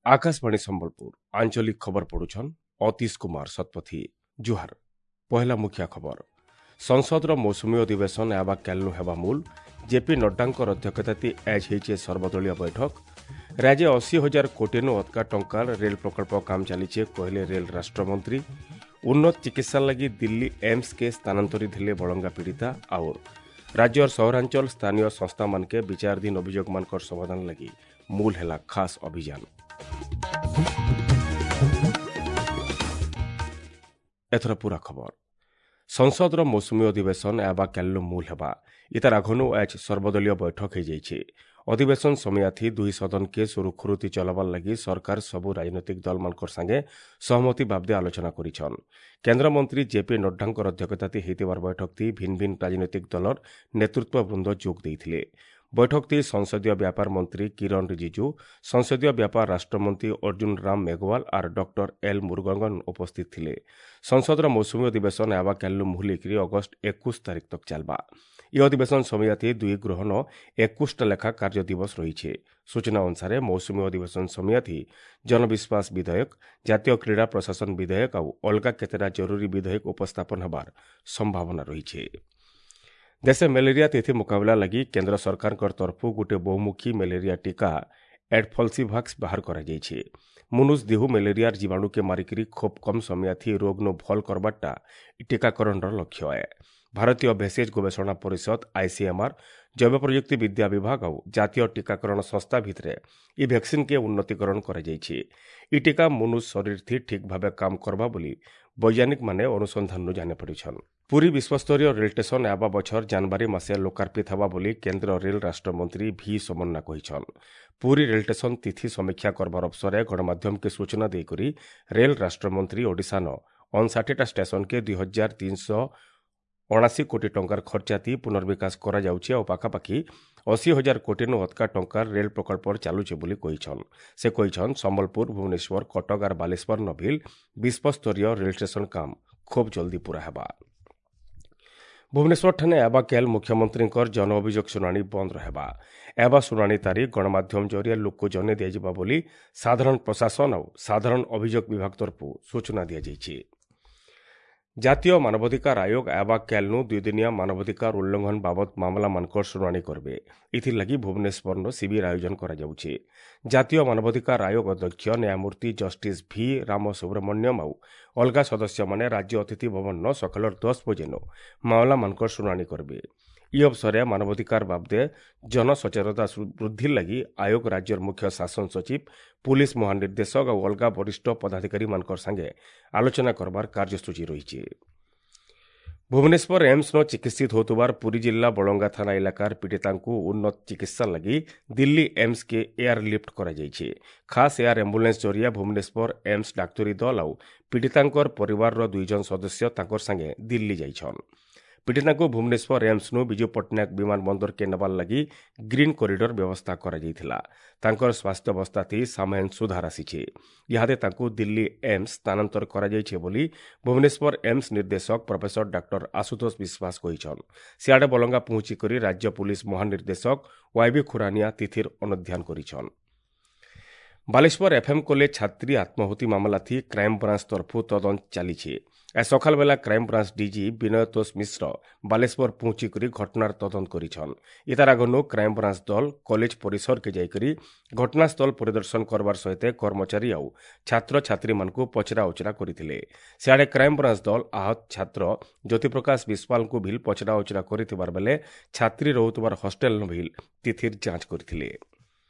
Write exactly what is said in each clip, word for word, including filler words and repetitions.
ଆକାଶବାଣୀ ସମ୍ବଲପୁର ଆଞ୍ଚଳିକ ଖବର ପଢୁଛନ୍ ଅତୀଶ କୁମାର ଶତପଥୀ ଜୁହାର ପହିଲା ମୁଖ୍ୟ ଖବର ସଂସଦର ମୌସୁମୀ ଅଧିବେଶନ ଆବା କାଲିନୁ ହେବା ମୂଲ ଜେପି ନଡ୍ଡାଙ୍କର ଅଧ୍ୟକ୍ଷତାତି ଆଜ୍ ହେଇଛେ ସର୍ବଦଳୀୟ ବୈଠକ ରାଜ୍ୟ ଅଶୀ ହଜାର କୋଟିନୁ ଅତକା ଟଙ୍କାର ରେଳ ପ୍ରକଳ୍ପ କାମ ଚାଲିଛେ କହିଲେ ରେଳ ରାଷ୍ଟ୍ରମନ୍ତ୍ରୀ ଉନ୍ନତ ଚିକିତ୍ସା ଲାଗି ଦିଲ୍ଲୀ ଏମ୍ସକେ ସ୍ଥାନାନ୍ତରିତ ହେଲେ ବଳଙ୍ଗା ପୀଡ଼ିତା ଆଉର ରାଜ୍ୟର ସହରାଞ୍ଚଳ ସ୍ଥାନୀୟ ସଂସ୍ଥାମାନକେ ବିଚାରାଧୀନ ଅଭିଯୋଗମାନଙ୍କର ସମାଧାନ ଲାଗି ମୂଲ ହେଲା ଖାସ୍ ଅଭିଯାନ ଏଥର ପୁରା ଖବର ସଂସଦର ମୌସୁମୀ ଅଧିବେଶନ ଆବା କାଲିନୁ ମୂଲ ହେବା ଇତାର ଆଘନୁ ଆଜ୍ ସର୍ବଦଳୀୟ ବୈଠକ ହୋଇଯାଇଛି ଅଧିବେଶନ ସମୟାଥି ଦୁଇ ସଦନକେ ସୁରୁଖୁରୁତି ଚଲାବାର ଲାଗି ସରକାର ସବୁ ରାଜନୈତିକ ଦଳମାନଙ୍କର ସାଙ୍ଗେ ସହମତି ବାବଦେ ଆଲୋଚନା କରିଛନ୍ କେନ୍ଦ୍ରମନ୍ତ୍ରୀ ଜେପି ନଡ୍ଡାଙ୍କର ଅଧ୍ୟକ୍ଷତାତି ହେଇଥିବାର ବୈଠକତି ଭିନ୍ନ ଭିନ୍ନ ରାଜନୈତିକ ଦଳର ନେତୃତ୍ୱବୃନ୍ଦ ଯୋଗ ଦେଇଥିଲେ ବୈଠକତି ସଂସଦୀୟ ବ୍ୟାପାର ମନ୍ତ୍ରୀ କିରଣ ରିଜିଜୁ ସଂସଦୀୟ ବ୍ୟାପାର ରାଷ୍ଟ୍ରମନ୍ତ୍ରୀ ଅର୍ଜୁନ ରାମ ମେଘୱାଲ ଆର୍ ଡକ୍ଟର ଏଲ୍ ମୁରୁଗନ ଉପସ୍ଥିତ ଥିଲେ ସଂସଦର ମୌସୁମୀ ଅଧିବେଶନ ଆବା କାଲିନୁ ମୁହୁଲିକରି ଅଗଷ୍ଟ ଏକୋଇଶ ତାରିଖ ତକ୍ ଚାଲବା ଇ ଅଧିବେଶନ ସମୟାଥି ଦୁଇ ଗୃହନ ଏକୋଇଶଟା ଲେଖା କାର୍ଯ୍ୟ ଦିବସ ରହିছে ସୂଚନା ଅନୁସାରେ ମୌସୁମୀ ଅଧିବେଶନ ସମୟାଥି ଜନବିଶ୍ୱାସ ବିଧେୟକ ଜାତୀୟ କ୍ରୀଡ଼ା ପ୍ରଶାସନ ବିଧେୟକ ଆଉ ଅଲଗା କେତେଟା ଜରୁରୀ ବିଧେୟକ ଉପସ୍ଥାପନ ହେବାର ସମ୍ଭାବନା ରହିছে ଦେଶେ ମ୍ୟାଲେରିଆ ତିଥି ମୁକାବିଲା ଲାଗି କେନ୍ଦ୍ର ସରକାରଙ୍କ ତରଫରୁ ଗୋଟିଏ ବହୁମୁଖୀ ମ୍ୟାଲେରିଆ ଟିକା ଏଡଫଲସିଭାକ୍ସ ବାହାର କରାଯାଇଛି ମନୁଷ ଦେହୁ ମ୍ୟାଲେରିଆର ଜୀବାଣୁକେ ମାରିକିରି ଖୁବ୍ କମ୍ ସମୟାଥି ରୋଗନୁ ଭଲ୍ କରବାରଟା ଟୀକାକରଣର ଲକ୍ଷ୍ୟ ଏ ଭାରତୀୟ ଭେଷଜ ଗବେଷଣା ପରିଷଦ ଆଇସିଏମ୍ଆର୍ ଜୈବ ପ୍ରଯୁକ୍ତି ବିଦ୍ୟା ବିଭାଗ ଆଉ ଜାତୀୟ ଟୀକାକରଣ ସଂସ୍ଥା ଭିତରେ ଇ ଭ୍ୟାକ୍ସିନ୍କେ ଉନ୍ନତିକରଣ କରାଯାଇଛି ଇ ଟୀକା ମନୁଷ ଶରୀରଥି ଠିକ୍ ଭାବେ କାମ କରବା ବୋଲି ବୈଜ୍ଞାନିକମାନେ ଅନୁସନ୍ଧାନରୁ ଜାଣିପାରିଛନ୍ ପୁରୀ ବିଶ୍ୱସ୍ତରୀୟ ରେଳ ଷ୍ଟେସନ ଆବା ବଛର ଜାନୁଆରୀ ମାସେ ଲୋକାର୍ପିତ ହେବା ବୋଲି କେନ୍ଦ୍ର ରେଳ ରାଷ୍ଟ୍ରମନ୍ତ୍ରୀ ଭି ସୋମନ୍ନା କହିଛନ୍ ପୁରୀ ରେଳ ଷ୍ଟେସନ ତିଥି ସମୀକ୍ଷା କରବାର ଅବସରେ ଗଣମାଧ୍ୟମକେ ସୂଚନା ଦେଇକରି ରେଳ ରାଷ୍ଟ୍ରମନ୍ତ୍ରୀ ଓଡ଼ିଶାନ ଅଣଷାଠିଟା ଷ୍ଟେସନକେ ଦୁଇ ହଜାର ତିନିଶହ ଅଣାଅଶୀ କୋଟି ଟଙ୍କାର ଖର୍ଚ୍ଚାତି ପୁନର୍ବିକାଶ କରାଯାଉଛି ଆଉ ପାଖାପାଖି ଅଶୀ ହଜାର କୋଟିନୁ ଅତକା ଟଙ୍କାର ରେଳ ପ୍ରକଳ୍ପ ଚାଲୁଛି ବୋଲି କହିଛନ୍ ସେ କହିଛନ୍ ସମ୍ବଲପୁର ଭୁବନେଶ୍ୱର କଟକ ଆର୍ ବାଲେଶ୍ୱର ନଭିଲ ବିଶ୍ୱସ୍ତରୀୟ ରେଳ ଷ୍ଟେସନ କାମ ଖୁବ୍ ଜଲ୍ଦି ପୂରା ହେବା ଭୁବନେଶ୍ୱରଠାନେ ଆବା କେଲ୍ ମୁଖ୍ୟମନ୍ତ୍ରୀଙ୍କର ଜନ ଅଭିଯୋଗ ଶୁଣାଣି ବନ୍ଦ ରହିବା ଏବା ଶୁଣାଣି ତାରିଖ ଗଣମାଧ୍ୟମ ଜରିଆରେ ଲୋକକୁ ଜଣାଇ ଦିଆଯିବ ବୋଲି ସାଧାରଣ ପ୍ରଶାସନ ଆଉ ସାଧାରଣ ଅଭିଯୋଗ ବିଭାଗ ତରଫରୁ ସୂଚନା ଦିଆଯାଇଛି ଜାତୀୟ ମାନବାଧିକାର ଆୟୋଗ ଆବା କାଲିନୁ ଦୁଇଦିନିଆ ମାନବାଧିକାର ଉଲ୍ଲଂଘନ ବାବଦ ମାମଲାମାନଙ୍କର ଶୁଣାଣି କରିବେ ଏଥିଲାଗି ଭୁବନେଶ୍ୱରର ଶିବିର ଆୟୋଜନ କରାଯାଉଛି ଜାତୀୟ ମାନବାଧିକାର ଆୟୋଗ ଅଧ୍ୟକ୍ଷ ନ୍ୟାୟମୂର୍ତ୍ତି ଜଷ୍ଟିସ୍ ଭି ରାମ ସୁବ୍ରମଣ୍ୟମ ଆଉ ଅଲଗା ସଦସ୍ୟମାନେ ରାଜ୍ୟ ଅତିଥି ଭବନର ସକାଳର ଦଶ ବଜେନୁ ମାମଲାମାନଙ୍କର ଶୁଣାଣି କରିବେ ଇ ଅବସରରେ ମାନବାଧିକାର ବାବଦେ ଜନସଚେତନତା ବୃଦ୍ଧି ଲାଗି ଆୟୋଗ ରାଜ୍ୟର ମୁଖ୍ୟ ଶାସନ ସଚିବ ପୁଲିସ ମହାନିର୍ଦ୍ଦେଶକ ଆଉ ଅଲଗା ବରିଷ୍ଠ ପଦାଧିକାରୀମାନଙ୍କର ସାଙ୍ଗେ ଆଲୋଚନା କରବାର କାର୍ଯ୍ୟସୂଚୀ ରହିଛି ଭୁବନେଶ୍ୱର ଏମ୍ସନ ଚିକିତ୍ସିତ ହେଉଥିବାର ପୁରୀ ଜିଲ୍ଲା ବଳଙ୍ଗା ଥାନା ଇଲାକାର ପୀଡ଼ିତାଙ୍କୁ ଉନ୍ନତ ଚିକିତ୍ସା ଲାଗି ଦିଲ୍ଲୀ ଏମ୍ସକେ ଏୟାର ଲିଫ୍ଟ କରାଯାଇଛି ଖାସ୍ ଏୟାର ଆମ୍ବୁଲାନ୍ସ ଜରିଆ ଭୁବନେଶ୍ୱର ଏମ୍ସ ଡାକ୍ତରୀ ଦଳ ଆଉ ପୀଡ଼ିତାଙ୍କର ପରିବାରର ଦୁଇଜଣ ସଦସ୍ୟ ତାଙ୍କର ସାଙ୍ଗେ ଦିଲ୍ଲୀ ଯାଇଛନ୍ ପୀଡ଼ିତାଙ୍କୁ ଭୁବନେଶ୍ୱର ଏମ୍ସନୁ ବିଜୁ ପଟ୍ଟନାୟକ ବିମାନ ବନ୍ଦରକେ ନେବାର ଲାଗି ଗ୍ରୀନ୍ କରିଡର ବ୍ୟବସ୍ଥା କରାଯାଇଥିଲା ତାଙ୍କର ସ୍ୱାସ୍ଥ୍ୟାବସ୍ଥାତି ସାମାନ୍ୟ ସୁଧାର ଆସିଛି ଇହାଦେ ତାଙ୍କୁ ଦିଲ୍ଲୀ ଏମ୍ସ ସ୍ଥାନାନ୍ତର କରାଯାଇଛି ବୋଲି ଭୁବନେଶ୍ୱର ଏମ୍ସ ନିର୍ଦ୍ଦେଶକ ପ୍ରଫେସର ଡାକ୍ତର ଆଶୁତୋଷ ବିଶ୍ୱାସ କହିଛନ୍ ସିଆଡ଼େ ବଲଙ୍ଗା ପହଞ୍ଚିକରି ରାଜ୍ୟ ପୁଲିସ ମହାନିର୍ଦ୍ଦେଶକ ୱାଇବି ଖୁରାନିଆ ତିଥିର ଅନୁଧ୍ୟାନ କରିଛନ୍ ବାଲେଶ୍ୱର ଏଫ୍ଏମ୍ କଲେଜ ଛାତ୍ରୀ ଆତ୍ମାହୁତି ମାମଲାଥି କ୍ରାଇମବ୍ରାଞ୍ଚ ତରଫରୁ ତଦନ୍ତ ଚାଲିଛି ଆজ ସକାଳବେଲା କ୍ରାଇମବ୍ରାଞ୍ଚ ଡିଜି ବିନୟ ତୋଷ ମିଶ୍ର ବାଲେଶ୍ୱର ପହଞ୍ଚିକରି ଘଟଣାର ତଦନ୍ତ କରିଛନ୍ ଇତାର ଆଗନୁ କ୍ରାଇମବ୍ରାଞ୍ଚ ଦଳ କଲେଜ ପରିସରକେ ଯାଇକରି ଘଟଣାସ୍ଥଳ ପରିଦର୍ଶନ କରବାର ସହିତ କର୍ମଚାରୀ ଆଉ ଛାତ୍ରଛାତ୍ରୀମାନଙ୍କୁ ପଚରା ଉଚରା କରିଥିଲେ ସିଆଡ଼େ କ୍ରାଇମବ୍ରାଞ୍ଚ ଦଳ ଆହତ ଛାତ୍ର ଜ୍ୟୋତିପ୍ରକାଶ ବିଶ୍ୱାଳଙ୍କୁ ଭିଲ୍ ପଚରା ଉଚରା କରିଥିବାର ବେଲେ ଛାତ୍ରୀ ରହୁଥିବାର ହଷ୍ଟେଲ ଭିଲ୍ ତିଥିର ଯାଞ୍ଚ କରିଥିଲେ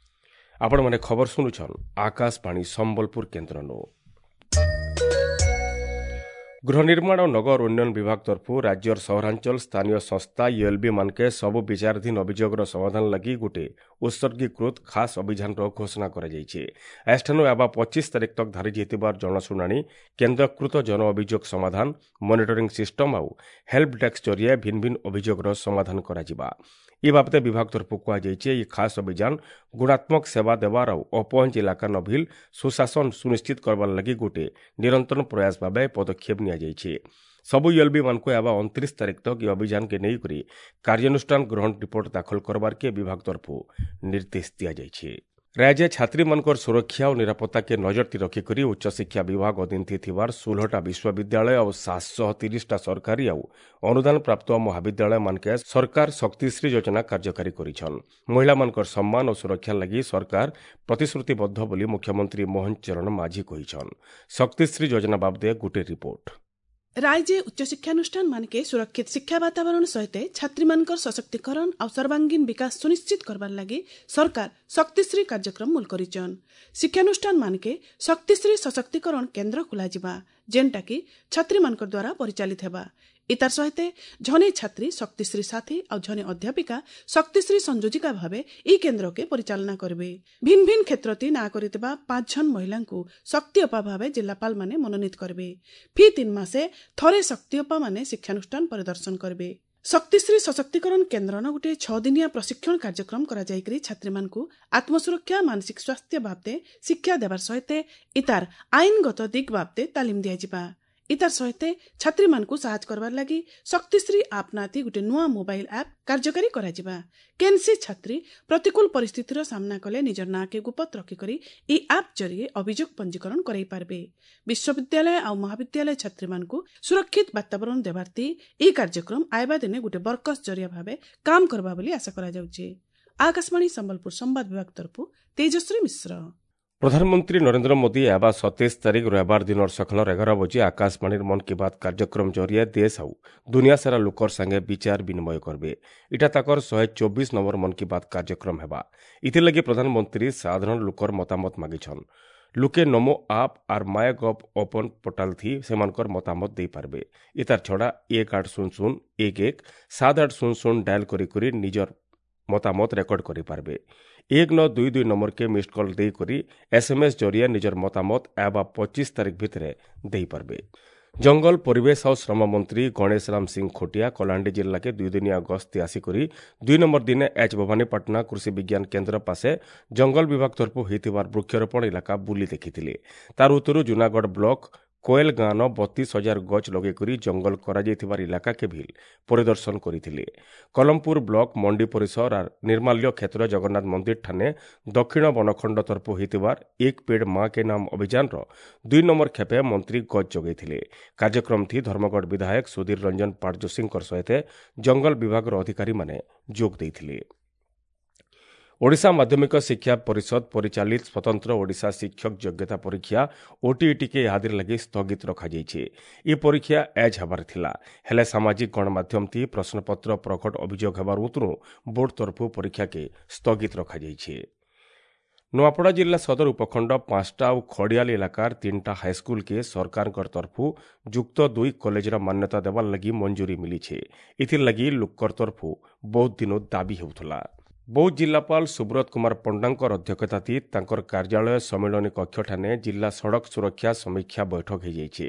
ଆପଣମାନେ ଖବର ଶୁଣୁଛନ୍ ଆକାଶବାଣୀ ସମ୍ବଲପୁର କେନ୍ଦ୍ରନୁ ଗୃହ ନିର୍ମାଣ ଓ ନଗର ଉନ୍ନୟନ ବିଭାଗ ତରଫରୁ ରାଜ୍ୟର ସହରାଞ୍ଚଳ ସ୍ଥାନୀୟ ସଂସ୍ଥା ୟୁଏଲ୍ବି ମାନକେ ସବୁ ବିଚାରାଧୀନ ଅଭିଯୋଗର ସମାଧାନ ଲାଗି ଗୋଟିଏ ଉତ୍ସର୍ଗୀକୃତ ଖାସ୍ ଅଭିଯାନର ଘୋଷଣା କରାଯାଇଛି ଏଠାନୁ ଆବା ପଚିଶ ତାରିଖ ତକ୍ ଧାରି ଯାଇଥିବାର ଜନଶୁଣାଣି କେନ୍ଦ୍ରୀକୃତ ଜନ ଅଭିଯୋଗ ସମାଧାନ ମନିଟରିଂ ସିଷ୍ଟମ ଆଉ ହେଲ୍ପ ଡେସ୍କ ଜରିଆରେ ଭିନ୍ନ ଭିନ୍ନ ଅଭିଯୋଗର ସମାଧାନ କରାଯିବା ଏ ବାବଦେ ବିଭାଗ ତରଫରୁ କୁହାଯାଇଛି ଏହି ଖାସ୍ ଅଭିଯାନ ଗୁଣାତ୍ମକ ସେବା ଦେବାର ଆଉ ଅପହଞ୍ଚ ଇଲାକା ନଭିଲ ସୁଶାସନ ସୁନିଶ୍ଚିତ କରବାର ଲାଗି ଗୋଟିଏ ନିରନ୍ତର ପ୍ରୟାସ ଭାବେ ପଦକ୍ଷେପ ନିଆଯାଇଛି ସବୁ ୟୁଏଲ୍ବି ମାନଙ୍କୁ ଆବା ଅଣତିରିଶ ତାରିଖ ତକ୍ ଏ ଅଭିଯାନକେ ନେଇକରି କାର୍ଯ୍ୟାନୁଷ୍ଠାନ ଗ୍ରହଣ ରିପୋର୍ଟ ଦାଖଲ କରବାରକେ ବିଭାଗ ତରଫରୁ ନିର୍ଦ୍ଦେଶ ଦିଆଯାଇଛି ରାଜ୍ୟ ଛାତ୍ରୀମାନଙ୍କର ସୁରକ୍ଷା ଓ ନିରାପତ୍ତାକେ ନଜରତି ରଖିକରି ଉଚ୍ଚଶିକ୍ଷା ବିଭାଗ ଅଧୀନରେ ଥିବାର ଷୋହଳଟା ବିଶ୍ୱବିଦ୍ୟାଳୟ ଆଉ ସାତଶହ ତିରିଶଟା ସରକାରୀ ଆଉ ଅନୁଦାନ ପ୍ରାପ୍ତ ମହାବିଦ୍ୟାଳୟମାନକେ ସରକାର ଶକ୍ତିଶ୍ରୀ ଯୋଜନା କାର୍ଯ୍ୟକାରୀ କରିଛନ୍। ମହିଳାମାନଙ୍କର ସମ୍ମାନ ଓ ସୁରକ୍ଷା ଲାଗି ସରକାର ପ୍ରତିଶ୍ରୁତିବଦ୍ଧ ବୋଲି ମୁଖ୍ୟମନ୍ତ୍ରୀ ମୋହନ ଚରଣ ମାଝୀ କହିଛନ୍। ଶକ୍ତିଶ୍ରୀ ଯୋଜନା ବାବଦେ ଗୋଟିଏ ରିପୋର୍ଟ। ରାଜ୍ୟ ଉଚ୍ଚଶିକ୍ଷାନୁଷ୍ଠାନ ମାନକେ ସୁରକ୍ଷିତ ଶିକ୍ଷା ବାତାବରଣ ସହିତ ଛାତ୍ରୀମାନଙ୍କର ସଶକ୍ତିକରଣ ଆଉ ସର୍ବାଙ୍ଗୀନ ବିକାଶ ସୁନିଶ୍ଚିତ କରବାର ଲାଗି ସରକାର ଶକ୍ତିଶ୍ରୀ କାର୍ଯ୍ୟକ୍ରମ ମୂଲ କରିଛନ୍। ଶିକ୍ଷାନୁଷ୍ଠାନ ମାନକେ ଶକ୍ତିଶ୍ରୀ ସଶକ୍ତିକରଣ କେନ୍ଦ୍ର ଖୋଲାଯିବା, ଯେନ୍ଟାକି ଛାତ୍ରୀମାନଙ୍କର ଦ୍ୱାରା ପରିଚାଳିତ ହେବା। ଇତାର ସହିତ ଝନେ ଛାତ୍ରୀ ଶକ୍ତିଶ୍ରୀ ସାଥୀ ଆଉ ଝନେ ଅଧ୍ୟାପିକା ଶକ୍ତିଶ୍ରୀ ସଂଯୋଜିକା ଭାବେ ଇ କେନ୍ଦ୍ରକେ ପରିଚାଳନା କରିବେ। ଭିନ୍ନ ଭିନ୍ନ କ୍ଷେତ୍ରତି ନାଁ କରିଥିବା ପାଞ୍ଚ ଜଣ ମହିଳାଙ୍କୁ ଶକ୍ତି ଅପା ଭାବେ ଜିଲ୍ଲାପାଳମାନେ ମନୋନୀତ କରିବେ। ଫି ତିନି ମାସେ ଥରେ ଶକ୍ତି ଅପା ମାନେ ଶିକ୍ଷାନୁଷ୍ଠାନ ପରିଦର୍ଶନ କରିବେ। ଶକ୍ତିଶ୍ରୀ ସଶକ୍ତିକରଣ କେନ୍ଦ୍ରନ ଗୋଟିଏ ଛଅ ଦିନିଆ ପ୍ରଶିକ୍ଷଣ କାର୍ଯ୍ୟକ୍ରମ କରାଯାଇକରି ଛାତ୍ରୀମାନଙ୍କୁ ଆତ୍ମସୁରକ୍ଷା, ମାନସିକ ସ୍ୱାସ୍ଥ୍ୟ ବାବଦେ ଶିକ୍ଷା ଦେବାର ସହିତ ଇତାର ଆଇନଗତ ଦିଗ ବାବଦେ ତାଲିମ ଦିଆଯିବା। ଇତାର ସହିତ ଛାତ୍ରୀମାନଙ୍କୁ ସାହାଯ୍ୟ କରବାର ଲାଗି ଶକ୍ତିଶ୍ରୀ ଆପ୍ ନାତି ଗୋଟେ ନୂଆ ମୋବାଇଲ ଆପ୍ କାର୍ଯ୍ୟକାରୀ କରାଯିବା। କେନ୍ସି ଛାତ୍ରୀ ପ୍ରତିକୂଳ ପରିସ୍ଥିତିର ସାମ୍ନା କଲେ ନିଜର ନାଁକେ ଗୁପତ ରଖିକରି ଇ ଆପ୍ ଜରିଏ ଅଭିଯୋଗ ପଞ୍ଜୀକରଣ କରାଇ ପାରବେ। ବିଶ୍ୱବିଦ୍ୟାଳୟ ଆଉ ମହାବିଦ୍ୟାଳୟ ଛାତ୍ରୀମାନଙ୍କୁ ସୁରକ୍ଷିତ ବାତାବରଣ ଦେବାର୍ଥୀ ଇ କାର୍ଯ୍ୟକ୍ରମ ଆଇବା ଦିନେ ଗୋଟେ ବରକସ ଜରିଆ ଭାବେ କାମ କରବା ବୋଲି ଆଶା କରାଯାଉଛି। ଆକାଶବାଣୀ ସମ୍ବଲପୁର ସମ୍ବାଦ ବିଭାଗ ତରଫରୁ ତେଜସ୍ୱୀ ମିଶ୍ର। ପ୍ରଧାନମନ୍ତ୍ରୀ ନରେନ୍ଦ୍ର ମୋଦି ଆବା ସତେଇଶ ତାରିଖ ରବିବାର ଦିନର ସକାଳ ଏଗାର ବଜେ ଆକାଶବାଣୀର ମନ୍ କି ବାତ୍ କାର୍ଯ୍ୟକ୍ରମ ଜରିଏ ଦେଶ ଆଉ ଦୁନିଆ ସାରା ଲୋକର ସାଙ୍ଗେ ବିଚାର ବିନିମୟ କରିବେ। ଇଟା ତାକର ଶହେ ଚବିଶ ନମ୍ବର ମନ୍ କି ବାତ୍ କାର୍ଯ୍ୟକ୍ରମ ହେବା। ଇଥିର୍ଲାଗି ପ୍ରଧାନମନ୍ତ୍ରୀ ସାଧାରଣ ଲୋକର ମତାମତ ମାଗିଛନ୍। ଲୋକେ ନମୋ ଆପ୍ ଆର୍ ମାଏ ଗଭ୍ ଓପନ୍ ପୋର୍ଟାଲ ଥି ସେମାନଙ୍କର ମତାମତ ଦେଇପାରିବେ। ଇତାର ଛଡ଼ା ଏକ ଆଠ ଶୂନ ଶୂନ ଏକ ଏକ ସାତ ଆଠ ଶୂନ ଶୂନ ଡାଏଲ୍ କରି କରି ନିଜର ମତାମତ ରେକର୍ଡ କରିପାରିବେ। ଏକ ନଅ ଦୁଇ ଦୁଇ ନମ୍ବରକେ ମିସ୍ଡ କଲ୍ ଦେଇକରି ଏସ୍ଏମ୍ଏସ୍ ଜରିଆ ନିଜର ମତାମତ ଆବା ପଚିଶ ତାରିଖ ଭିତରେ ଦେଇପାରିବେ। ଜଙ୍ଗଲ ପରିବେଶ ଆଉ ଶ୍ରମ ମନ୍ତ୍ରୀ ଗଣେଶ ରାମ ସିଂ ଖୋଟିଆ କଳାହାଣ୍ଡି ଜିଲ୍ଲାକେ ଦୁଇଦିନିଆ ଗସ୍ତି ଆସିକରି ଦୁଇ ନମ୍ବର ଦିନେ ଏଚ୍ ଭବାନୀପାଟଣା କୃଷି ବିଜ୍ଞାନ କେନ୍ଦ୍ର ପାଶେ ଜଙ୍ଗଲ ବିଭାଗ ତରଫରୁ ହୋଇଥିବାର ବୃକ୍ଷରୋପଣ ଇଲାକା ବୁଲି ଦେଖିଥିଲେ। ତାର ଉତ୍ତରୁ ଜୁନାଗଡ଼ ବ୍ଲକ କୋଏଲ ଗାଁନ ବତିଶ ହଜାର ଗଛ ଲଗେଇକରି ଜଙ୍ଗଲ କରାଯାଇଥିବାର ଇଲାକାକେ ଭିଲ୍ ପରିଦର୍ଶନ କରିଥିଲେ। କଲମପୁର ବ୍ଲକ ମଣ୍ଡି ପରିସର ଆର୍ ନିର୍ମାଲ୍ୟ କ୍ଷେତ୍ର ଜଗନ୍ନାଥ ମନ୍ଦିର ଠାନେ ଦକ୍ଷିଣ ବନଖଣ୍ଡ ତରଫରୁ ହୋଇଥିବାର ଏକ ପେଡ଼ ମା କେ ନାମ ଅଭିଯାନର ଦୁଇ ନମ୍ବର ଖେପେ ମନ୍ତ୍ରୀ ଗଛ ଯୋଗାଇଥିଲେ। କାର୍ଯ୍ୟକ୍ରମ ଥି ଧର୍ମଗଡ଼ ବିଧାୟକ ସୁଧୀର ରଞ୍ଜନ ପାଟଯୋଶୀଙ୍କର ସହିତ ଜଙ୍ଗଲ ବିଭାଗର ଅଧିକାରୀମାନେ ଯୋଗ ଦେଇଥିଲେ। ଓଡ଼ିଶା ମାଧ୍ୟମିକ ଶିକ୍ଷା ପରିଷଦ ପରିଚାଳିତ ସ୍ୱତନ୍ତ୍ର ଓଡ଼ିଶା ଶିକ୍ଷକ ଯୋଗ୍ୟତା ପରୀକ୍ଷା ଓଟିଇଟିକେ ଇହାଦିର ଲାଗି ସ୍ଥଗିତ ରଖାଯାଇଛି। ଏ ପରୀକ୍ଷା ଏଜ୍ ହେବାର ଥିଲା, ହେଲେ ସାମାଜିକ ଗଣମାଧ୍ୟମ ଥି ପ୍ରଶ୍ନପତ୍ର ପ୍ରକଟ ଅଭିଯୋଗ ହେବାର ଉତରୁ ବୋର୍ଡ ତରଫରୁ ପରୀକ୍ଷାକେ ସ୍ଥଗିତ ରଖାଯାଇଛି। ନୂଆପଡ଼ା ଜିଲ୍ଲା ସଦର ଉପଖଣ୍ଡ ପାଞ୍ଚଟା ଆଉ ଖଡ଼ିଆଲ ଇଲାକାର ତିନିଟା ହାଇସ୍କୁଲକେ ସରକାରଙ୍କ ତରଫରୁ ଯୁକ୍ତ ଦୁଇ କଲେଜର ମାନ୍ୟତା ଦେବାର ଲାଗି ମଞ୍ଜୁରୀ ମିଳିছে। ଏଥିର୍ଲାଗି ଲୋକର ତରଫରୁ ବହୁତ ଦିନ ଦାବି ହେଉଥିଲା। ବୌଦ୍ଧ ଜିଲ୍ଲାପାଳ ସୁବ୍ରତ କୁମାର ପଣ୍ଡାଙ୍କର ଅଧ୍ୟକ୍ଷତାତି ତାଙ୍କର କାର୍ଯ୍ୟାଳୟ ସମ୍ମିଳନୀ କକ୍ଷଠାନେ ଜିଲ୍ଲା ସଡ଼କ ସୁରକ୍ଷା ସମୀକ୍ଷା ବୈଠକ ହୋଇଯାଇଛି।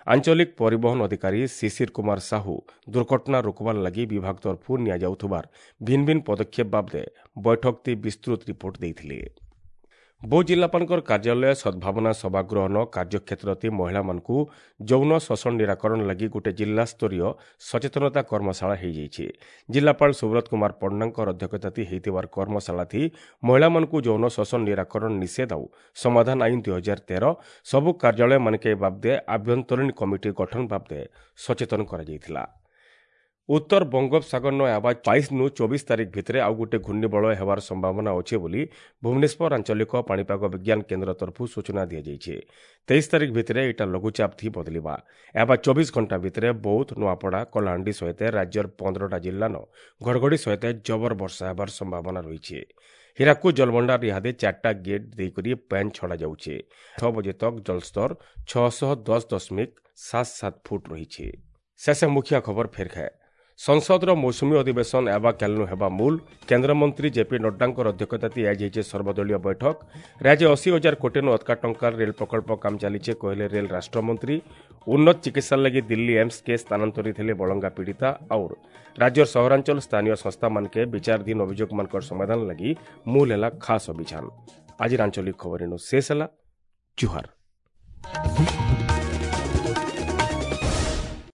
ଆଞ୍ଚଳିକ ପରିବହନ ଅଧିକାରୀ ଶିଶିର କୁମାର ସାହୁ ଦୁର୍ଘଟଣା ରୋକବାର ଲାଗି ବିଭାଗ ତରଫରୁ ନିଆଯାଉଥିବାର ଭିନ୍ନ ଭିନ୍ନ ପଦକ୍ଷେପ ବାବଦେ ବୈଠକଟି ବିସ୍ତୃତ ରିପୋର୍ଟ ଦେଇଥିଲେ। ବୌଦ୍ଧ ଜିଲ୍ଲାପାଳଙ୍କର କାର୍ଯ୍ୟାଳୟ ସଦ୍ଭାବନା ସଭାଗୃହନ କାର୍ଯ୍ୟକ୍ଷେତ୍ରତି ମହିଳାମାନଙ୍କୁ ଯୌନ ଶୋଷଣ ନିରାକରଣ ଲାଗି ଗୋଟେ ଜିଲ୍ଲାସ୍ତରୀୟ ସଚେତନତା କର୍ମଶାଳା ହୋଇଯାଇଛି। ଜିଲ୍ଲାପାଳ ସୁବ୍ରତ କୁମାର ପଣ୍ଡାଙ୍କର ଅଧ୍ୟକ୍ଷତାତି ହୋଇଥିବାର କର୍ମଶାଳାଥି ମହିଳାମାନଙ୍କୁ ଯୌନ ଶୋଷଣ ନିରାକରଣ ନିଷେଧ ଆଉ ସମାଧାନ ଆଇନ ଦୁଇ ହଜାର ତେର ସବୁ କାର୍ଯ୍ୟାଳୟମାନକେ ଏ ବାବଦେ ଆଭ୍ୟନ୍ତରୀଣ କମିଟି ଗଠନ ବାବଦେ ସଚେତନ କରାଯାଇଥିଲା। ଉତ୍ତର ବଙ୍ଗୋପସାଗରନ ଆବା ବାଇଶ ନୁ ଚବିଶ ତାରିଖ ଭିତରେ ଆଉ ଗୋଟେ ଘୂର୍ଣ୍ଣିବଳୟ ହେବାର ସମ୍ଭାବନା ଅଛି ବୋଲି ଭୁବନେଶ୍ୱର ଆଞ୍ଚଳିକ ପାଣିପାଗ ବିଜ୍ଞାନ କେନ୍ଦ୍ର ତରଫରୁ ସୂଚନା ଦିଆଯାଇଛି। ତେଇଶ ତାରିଖ ଭିତରେ ଏଇଟା ଲଘୁଚାପ ଥି ବଦଳିବା। ଏବା ଚବିଶ ଘଣ୍ଟା ଭିତରେ ବୌଦ୍ଧ, ନୂଆପଡ଼ା, କଳାହାଣ୍ଡି ସହିତ ରାଜ୍ୟର ପନ୍ଦରଟା ଜିଲ୍ଲାନ ଘଡ଼ଘଡ଼ି ସହିତ ଜବର ବର୍ଷା ହେବାର ସମ୍ଭାବନା ରହିଛି। ହୀରାକୁଦ ଜଳଭଣ୍ଡାର ଇହାଦେ ଚାରିଟା ଗେଟ୍ ଦେଇକରି ପାଣି ଛଡ଼ାଯାଉଛି। ଛଅ ବଜେ ତକ୍ ଜଳସ୍ତର ଛଅଶହ ଦଶ ଦଶମିକ ସାତ ସାତ ଫୁଟ ରହିଛି। ଶେଷ ମୁଖିଆ ଖବର ଫେର ଖାଏ। ସଂସଦର ମୌସୁମୀ ଅଧିବେଶନ ଏବା କାଲିନୁ ହେବା ମୂଲ। କେନ୍ଦ୍ରମନ୍ତ୍ରୀ ଜେପି ନଡ୍ଡାଙ୍କର ଅଧ୍ୟକ୍ଷତାତି ଆଜି ହେଇছে ସର୍ବଦଳୀୟ ବୈଠକ। ରାଜ୍ୟ ଅଶୀ ହଜାର କୋଟିନୁ ଅଧିକା ଟଙ୍କାର ରେଳ ପ୍ରକଳ୍ପ କାମ ଚାଲିছে କହିଲେ ରେଳ ରାଷ୍ଟ୍ରମନ୍ତ୍ରୀ। ଉନ୍ନତ ଚିକିତ୍ସା ଲାଗି ଦିଲ୍ଲୀ ଏମ୍ସ କେ ସ୍ଥାନାନ୍ତରିତ ହେଲେ ବଳଙ୍ଗା ପୀଡ଼ିତା। ଆଉ ରାଜ୍ୟର ସହରାଞ୍ଚଳ ସ୍ଥାନୀୟ ସଂସ୍ଥାମାନକେ ବିଚାରାଧୀନ ଅଭିଯୋଗମାନଙ୍କର ସମାଧାନ ଲାଗି ମୂଲ ହେଲା ଖାସ୍ ଅଭିଯାନ। ଆଜିର ଆଞ୍ଚଳିକ ଖବର ଏନୁ ଶେଷ ହେଲା। ଜୁହାର।